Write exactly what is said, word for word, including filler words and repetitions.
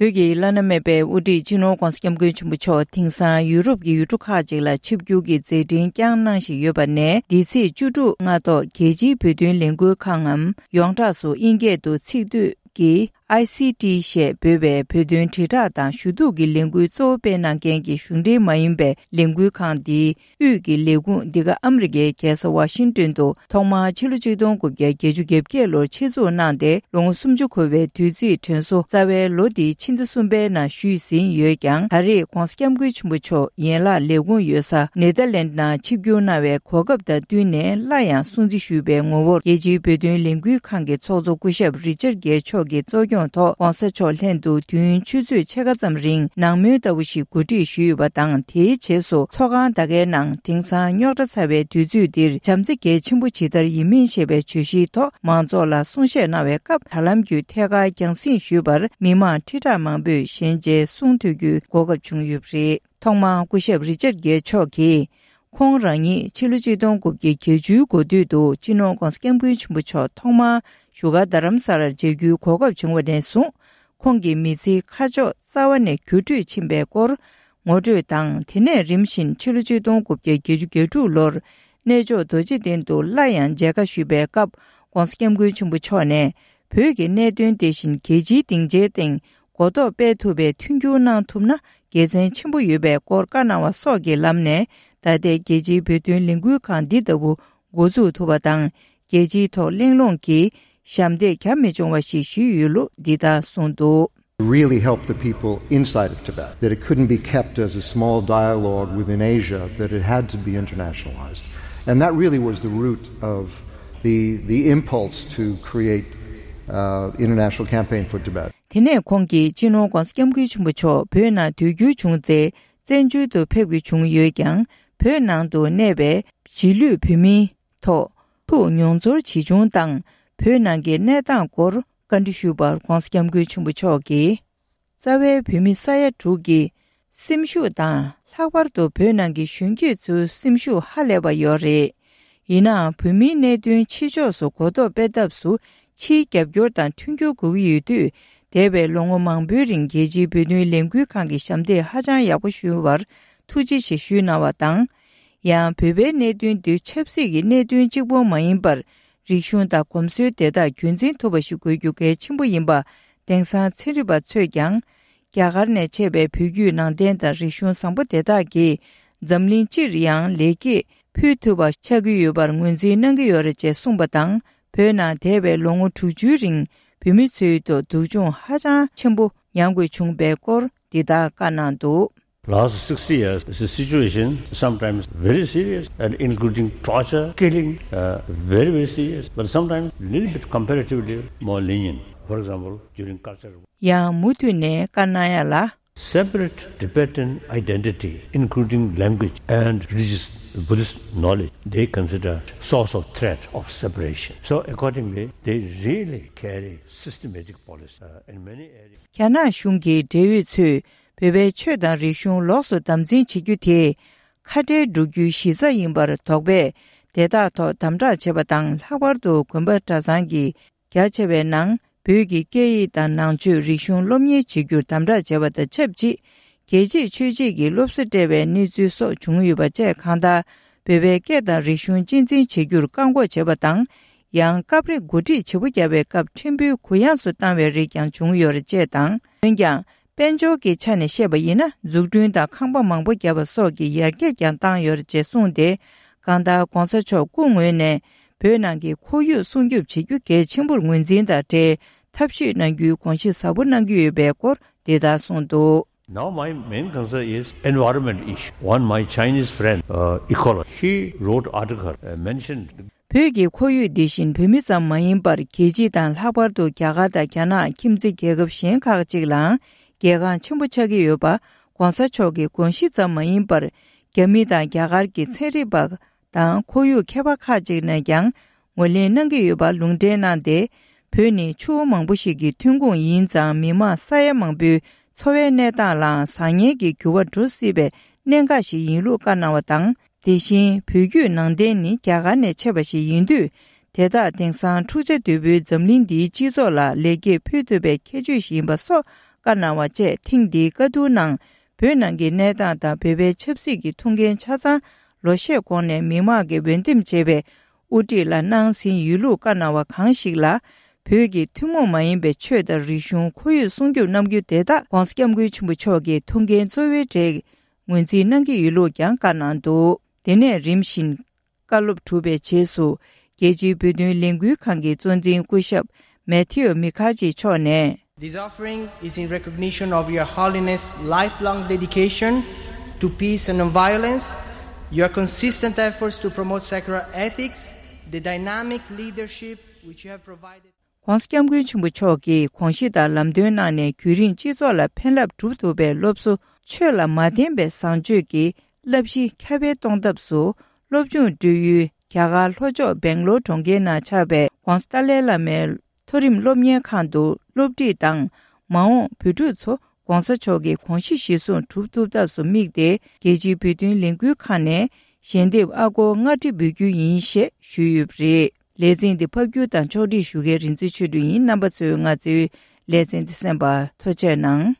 བོད་ཀྱི་བླ་ན་མེད་པའི་དབུ་ཁྲིད་སྤྱི་ནོར་༧གོང་ས་༧སྐྱབས་མགོན་ཆེན་པོ་མཆོག་དེང་སང་ཡུ་རོབ་ཀྱི་ཡུལ་གྲུ་ཁག་ཅིག་ལ་ཆིབས་བསྒྱུར་གྱི་མཛད་འཕྲིན་བསྐྱངས་གནང་བཞིན་ཡོད་པ་ནས། འདི་ཚེས་བཅུ་དྲུག་སྔ་ཐོག་རྒྱལ་སྤྱིའི་བོད་དོན་ལས་འགུལ་ཁང་ངམ། ཡོངས་གྲགས་སུ་དབྱིན་སྐད་དུ་ཚིག་སྡུད་ཀྱི་ཨའི་སི་ཊི་ཞེས་འབོད་པའི་བོད་དོན་དྲིལ་བསྒྲགས་དང་ཞུ་གཏུག་གི་ལས་འགུལ་གཙོ་བོ་སྤེལ་གནང་མཁན་གྱི་གཞུང་འབྲེལ་མ་ཡིན་པའི་ལས་འགུལ་ཁང་འདིའི་དབུས་ཀྱི་ལས་ཁུངས་འདི་ག་ཨ་མི་རི་ཀའི་རྒྱལ་ས་ཝ་ཤིང་ཏོན་དུ་ཐོག་མར་ཕྱི་ལོ་ཆིག་སྟོང་དགུ་བརྒྱ་བརྒྱད་ཅུ་གྱ་བརྒྱད་ལོར་ཆེད་འཛུགས་གནང་སྟེ། ལོ་ངོ་སུམ་ཅུ་འཁོར་བའི་དུས་ཚིགས་དྲན་གསོ། རྩ་བའི་ལོ་འདིའི་ཕྱི་ཟླ་གསུམ་པའི་ནང་ཞུས་ཟིན་ཡོད་ཀྱང་། ད་རེས་༧གོང་ས་༧སྐྱབས་མགོན་ཆེན་པོ་མཆོག་ཡན་ལག་ལས་ཁུངས་ཡོད་ས་ནེ་ཐར་ལེནྜ་ནང་ཆིབས་བསྒྱུར་གནང་བའི་གོ་སྐབས་དང་བསྟུན་ནས། སླར་ཡང་སྲུང་བརྩི་ཞུས་པའི་ངོ་བོར་རྒྱལ་སྤྱིའི་བོད་དོན་ལས་འགུལ་ཁང་གི་ཚོགས་གཙོ་སྐུ་ཞབས་རི་ཅར་གེ་མཆོག་གིས་གཙོ་སྐྱོང་ཐོག་༧གོང་ས་མཆོག་ལྷན་དུ་དུས་ཡུན་ཆུ་ཚོད་ཕྱེད་ཀ་ཙམ་རིང་ནང་མོལ་ལྟ་བུ་ཞིག་གོ་སྒྲིག་ཞུས་ཡོད་པ་དང་། དེའི་རྗེས་སུ་ཚོགས་ཁང་ད་གའི་ནང་དེང་སང་རྙོག་དྲ་ཚ་བའི་དུས་ཚོད་འདིར་བྱམས་བརྩེ་གལ་ཆེན་པོ་ཇི་ལྟར་ཡིན་མིན་ཞེས་པའི་བརྗོད་གཞིའི་ཐོག་མང་ཚོགས་ལ་གསུང་བཤད་གནང་བའི་སྐབས། དྲ་ལམ་བརྒྱུད་ཐད་ཀར་རྒྱང་སྲིང་ཞུས་པར་མི་མང་ཁྲི་ཕྲག་མང་པོས་ཞལ་མཇལ་གསུང་ཐོས་རྒྱུའི་གོ་སྐབས་བྱུང་ཡོད་པ་རེད། ཐོག་མར་སྐུ་ཞབས་རི་ཅར་གེ་མཆོག་གིས། ཁོང་རང་ཉིད་ཕྱི་ལོ་ཆིག་སྟོང་དགུ་བརྒྱ་བརྒྱད་ཅུའི་འགོ་སྟོད་དུ་སྤྱི་ནོར་༧གོང་ས་༧སྐྱབས་མགོན་ཆེན་པོ་མཆོག་ཐོག་མར་བཞུགས་སྒར་རྡ་རམ་ས་ལར་མཇལ་རྒྱུའི་གོ་སྐབས་བྱུང་བ་ནས་བཟུང་། ཁོང་གི་མི་ཚེའི་ཁ་ཕྱོགས་རྩ་བ་ནས་འགྱུར་འགྲོས་ཕྱིན་པའི་སྐོར་ངོ་སྤྲོད་དང་། དེ་ནས་རིམ་བཞིན་ཕྱི་ལོ་ཆིག་སྟོང་དགུ་བརྒྱ་བརྒྱད་ཅུ་གྱ་དྲུག་ལོར་གནས་མཆོག་རྡོ་རྗེ་གདན་དུ་སླར་ཡང་མཇལ་ཁ་ཞུས་པའི་སྐབས། ༧གོང་ས་༧སྐྱབས་མགོན་ཆེན་པོ་མཆོག་ནས། བོད་ཀྱི་གནད་དོན་དེ་བཞིན་རྒྱལ་སྤྱིའི་སྡིངས་ཆའི་སྟེང་གོ་རྟོགས་སྤེལ་ཐུབ་པའི་མཐུན་འགྱུར་གནང་ཐུབ་ན་དགེ་མཚན་ཆེན་པོ་ཡོད་པའི་སྐོར་བཀའ་གནང་བ་སོགས་ཀྱི་ལམ་ནས། ད་ལྟའི་རྒྱལ་སྤྱིའི་བོད་དོན་ལས་འགུལ་ཁང་འདི་ལྟ་བུ་འགོ་འཛུགས་ཐུབ་པ་དང་། རྒྱལ་སྤྱིའི་ཐོག་གླེང་སློང་གི་ཞབས་འདེགས་རྒྱབ་མི་འབྱུང་བ་ཞིག་ཞུས་ཡོད་ལུགས་འདི་ལྟར་གསུངས་འདུག། Really help the people inside of Tibet, that it couldn't be kept as a small dialogue within Asia, that it had to be internationalized. And that really was the root of the, the impulse to create uh, international campaign for Tibet. དེ་ནས་ཁོང་གིས་སྤྱི་ནོར་༧གོང་ས་༧སྐྱབས་མགོན་ཆེན་པོ་མཆོག་བོད་ནང་སྡོད་རྒྱུ་བྱུང་ཚེ། བཙན་བྱོལ་དུ་ཕེབས་དགོས་བྱུང་ཡོད་ཀྱང་། བོད་ནང་དུ་གནས་པའི་གཞིས་ལུས་བོད་མིའི་ཐོག་ཐུགས་མྱོང་ཚོར་ཇི་བྱུང་དང་། བོད་ནང་གི་གནས་སྟངས་སྐོར་བཀའ་འདྲི་ཞུས་པར་༧གོང་ས་༧སྐྱབས་མགོན་ཆེན་པོ་མཆོག་གིས། རྩ་བའི་བོད་མི་ས་ཡ་དྲུག་གི་སེམས་ཤུགས་དང་། ལྷག་པར་དུ་བོད་ནང་གི་གཞོན་སྐྱེས་ཚོའི་སེམས་ཤུགས་ཧ་ལས་པ་ཡོད་རེད། ཡིན་ནའང་། བོད་མིའི་གནད་དོན་ཕྱི་ཕྱོགས་སུ་གོ་རྟོགས་སྤེལ་ཐབས་སུ་ཕྱིའི་རྒྱབ་སྐྱོར་དང་མཐུན་འགྱུར་དགོས་ཀྱི་ཡོད་དུས། འདས་པའི་ལོ་ངོ་མང་པོའི་རིང་རྒྱལ་སྤྱིའི་བོད་དོན་ལས་འགུལ་ཁང་གི་ཞབས་འདེགས་ཧ་ཅང་ཡག་པོ་ཞུས་པར་ཐུགས་རྗེ་ཆེ་ཞུས་གནང་བ་དང་། ཡང་། བོད་པའི་གནད་དོན་འདི་ཆབ་སྲིད་ཀྱི་གནད་དོན་གཅིག་པོ་མ་ཡིན་པར། རིག་གཞུང་དང་གོམས་སྲོལ་དེ་དག་རྒྱུན་འཛིན་ཐུབ་པ་ཞིག་དགོས་རྒྱུ་གལ་ཆེན་པོ་ཡིན་པ། དེང་སང་ཚན་རིག་པ་ཚོས་ཀྱང་། རྒྱ་གར་ནས་མཆེད་པའི་བོད་བརྒྱུད་ནང་བསྟན་དང་རིག་གཞུང་བཟང་པོ་དེ་དག་གིས་འཛམ་གླིང་སྤྱིར་ཡང་ལེགས་སྐྱེས་ཕུལ་ཐུབ་པ་ཆགས་ཀྱི་ཡོད་པར་ངོས་འཛིན་གནང་གི་ཡོད་རེད་ཅེས་གསུངས་པ་དང་། བོད་ནང་འདས་པའི་ལོ་ངོ་དྲུག་ཅུའི་རིང་བོད་མི་ཚོའི་ཐོག་སྡུག་སྦྱོང་ཧ་ཅང་ཆེན་པོ་མྱངས་དགོས་བྱུང་པའི་སྐོར་འདི་ལྟར་བཀའ་གནང་འདུག། Last sixty years, the situation sometimes very serious and including torture, killing, uh, very, very serious, but sometimes little bit comparatively more lenient. For example, during culture. ཡང་མུ་མཐུད་ནས་བཀའ་གནང་ཡ་ལ། Separate Tibetan identity, including language and religious Buddhist knowledge, they consider source of threat of separation. So accordingly, they really carry systematic policy, uh, in many areas. རྒྱ་ནག་གཞུང་གི་འབྲེལ་ཡོད་ཚོས་བོད་པའི་ཆོས་དང་རིག་གཞུང་ལོགས་སུ་དམ་འཛིན་བྱེད་རྒྱུ་དེ་ཁ་བྲལ་འགྲོ་རྒྱུའི་གཞི་རྩ་ཡིན་པར་དོགས་པས། དེ་དག་ཐོག་དམ་དྲག་བྱེད་པ་དང་། ལྷག་པར་དུ་དགོན་པ་གྲྭ་ཚང་གི་རྒྱ་ཆེ་བའི་ནང་བོད་ཀྱི་སྐད་ཡིག་དང་ནང་ཆོས་རིག་གཞུང་སློབ་གཉེར་བྱེད་རྒྱུར་དམ་དྲག་བྱས་པ་དང་ཆབས་ཅིག་རྒྱལ་གཅེས་ཆོས་གཅེས་ཀྱི་སློབ་གསོ་སྤྲད་པའི་གནས་ཚུལ་སོགས་བྱུང་ཡོད་པ་བཅས། གང་ལྟར་བོད་པའི་སྐད་དང་རིག་གཞུང་གཅེས་འཛིན་བྱེད་རྒྱུར་བཀག་འགོག་བྱས་པ་དང་། ཡང་སྐབས་རེ་འགོ་ཁྲིད་བྱེད་པོ་བརྒྱབ་པའི་སྐབས་ཕྲན་བུའི་གུ་ཡངས་སུ་བཏང་བའི་རིགས་ཀྱང་བྱུང་ཡོད་རེད་ཅེས་དང་། འོན་ཀྱང་། དཔལ་འབྱོར་གྱི་ཆ་ནས་བཤད་པ་ཡིན་ན། འཛུགས་སྐྲུན་དང་ཁང་པ་མང་པོ་བརྒྱབ་པ་སོགས་ཀྱི་ཡར་རྒྱས་ཀྱང་བཏང་ཡོད་རེད་ཅེས་གསུངས་ཏེ། གང་ལྟར་༧གོང་ས་མཆོག་སྐུ་ངོས་ནས་བོད་ནང་གི་ཁོར་ཡུག་སྲུང་སྐྱོབ་བྱེད་རྒྱུ་གལ་ཆེན་པོར་ངོས་འཛིན་དང་འབྲེལ་ཐབས་ཤེས་གནང་རྒྱུའི་དགོངས་གཞི་ཟབ་པོ་གནང་གི་ཡོད་པའི་སྐོར་འདི་ལྟར་གསུངས་འདུག། Now my main concern is environment issue. One my Chinese friend, uh, ecologist, he wrote article, uh, mentioned བོད་ཀྱི་ཁོར་ཡུག་འདི་བཞིན་བོད་མི་ཙམ་མ་ཡིན་པར། རྒྱལ་སྤྱི་དང་། ལྷག་པར་དུ་རྒྱ་གར་དང་རྒྱ་ནག་ཁྱིམ་མཚེས་རྒྱལ་ཁབ་གཞན་ཁག་ཅིག་ལའང་གལ་འགངས་ཆེན་པོ་ཆགས་ཀྱི་ཡོད་པ། ༸གོང་ས་མཆོག་གི་དགོངས་གཞི་ཙམ་མ་ཡིན་པར། རྒྱ་མི་དང་རྒྱ་གར་གྱི་ཚན་རིག་པ་དང་ཁོར་ཡུག་མཁས་པ་ཁག་ཅིག་ནས་ཀྱང་ངོས་ལེན་གནང་གི་ཡོད་པ་ལུང་འདྲེན་གནང་སྟེ། བོད་ནི་ཆུ་བོ་མང་པོ་ཞིག་གི་ཐོན་ཁུངས་ཡིན་ཙང་། མི་མང་ས་ཡ་མང་པོའི་འཚོ་བའི་གནས་སྟངས་ལའང་བཟང་ངན་གྱི་འགྱུར་བ་འགྲོ་སྲིད་པའི་གནད་འགག་ཞིག་ཡིན་ལུགས་བཀའ་གནང་བ་དང་། དེ་བཞིན་བོད་བརྒྱུད་ནང་བསྟན་ནི་རྒྱ་གར་ནས་མཆེད་པ་ཞིག་ཡིན་དུས། དེ་དག་དེང་སང་འཁྲུག་ཆ་དོད་པོའི་འཛམ་གླིང་འདིའི་སྤྱི་ཚོགས་ལ་ལེགས་སྐྱེས་ཕུལ་ཐུབ་པའི་ཁྱད་ཆོས་ཤིག་ཡིན་པ་སོགས་ བཀའ་གནང་བ་བཅས་ཐེངས་འདིའི་བཀའ་བསྡུར་ནང་བོད་ནང་གི་གནས་སྟངས་དང་བོད་པའི་ཆབ་སྲིད་ཀྱི་ཐུགས་འགན་ཆ་ཚང་ལོ་ཤས་གོང་ནས་མི་མང་གིས་འོས་འདེམས་བྱས་པའི་དབུ་ཁྲིད་ལ་གནང་ཟིན་ཡོད་ལུགས་བཀའ་གནང་བ་གང་ཞིག་ལ། བོད་ཀྱི་ཐུན་མོང་མ་ཡིན་པའི་ཆོས་དང་རིག་གཞུང་ཁོར་ཡུག་སྲུང་སྐྱོབ་གནང་རྒྱུ་དེ་དག་༧གོང་ས་༧སྐྱབས་མགོན་ཆེན་པོ་མཆོག་གི་ཐུགས་འགན་གཙོ་བོའི་གྲས་ངོས་འཛིན་གནང་གི་ཡོད་ལུགས་ཀྱང་བཀའ་གནང་འདུག་དེ་ནས་རིམ་བཞིན་བཀའ་སློབ་གྲུབ་པའི་རྗེས་སུ། རྒྱལ་སྤྱིའི་བོད་དོན་ལས་འགུལ་ཁང་གི་གཙོ་འཛིན་སྐུ་ཞབས་མེ་ཐེའུ་མི་ཁ་ཅི་མཆོག་ནས། This offering is in recognition of Your Holiness' lifelong dedication to peace and non-violence, your consistent efforts to promote secular ethics, the dynamic leadership which you have provided. ༧གོང་ས་༧སྐྱབས་མགོན་ཆེན་པོ་མཆོག་གིས་དགོངས་གཞི་དང་ལམ་སྟོན་གནང་ནས་རྒྱུན་རིང་སྤྱི་ཚོགས་ལ་ཕན་རླབས་སྒྲུབ་ཐུབ་པའི་སློབ་གསོ། ཆོས་ལ་མ་བརྟེན་པའི་བཟང་སྤྱོད་ཀྱི་བསླབ་གཞི་ཁྱབ་སྤེལ་གཏོང་ཐབས་སུ། སློབ་སྦྱོང་སྤྲོད་ཡུལ་རྒྱ་གར་ལྷོ་ཕྱོགས་སྦེང་ལོར་གྲོང་ཁྱེར་ནང་ཆགས་པའི་༧གོང་ས་ཏཱ་ལའི་བླ་མའི་མཐོ་རིམ་སློབ་གཉེར་ཁང་དུ་སློབ་ཁྲིད་དང་། མ་འོངས་བོད་ཕྲུག་ཚོ་༧གོང་ས་མཆོག་གི་དགོངས་གཞི་གཞིར་བཟུང་གྲུབ་ཐུབ་ཐབས་སུ་དམིགས་ཏེ། རྒྱལ་སྤྱིའི་བོད་དོན་ལས་འགུལ་ཁང་ནས་ཞལ་འདེབས་ཨ་སྒོར་ལྔ་ཁྲི་འབུལ་རྒྱུ་ཡིན་ཞེས་ཞུས་ཡོད་པ་རེད། ལེ་ཚན་འདི་ཕབ་སྒྱུར་དང་ཕྱོགས་སྒྲིག་ཞུ་མཁན་རིག་འཛིན་ཆོས་སྒྲོན་ཡིན། རྣམ་པ་ཚོས་ང་ཚོའི་ལེ་ཚན་འདི་གསན་པར་ཐུགས་རྗེ་གནང་།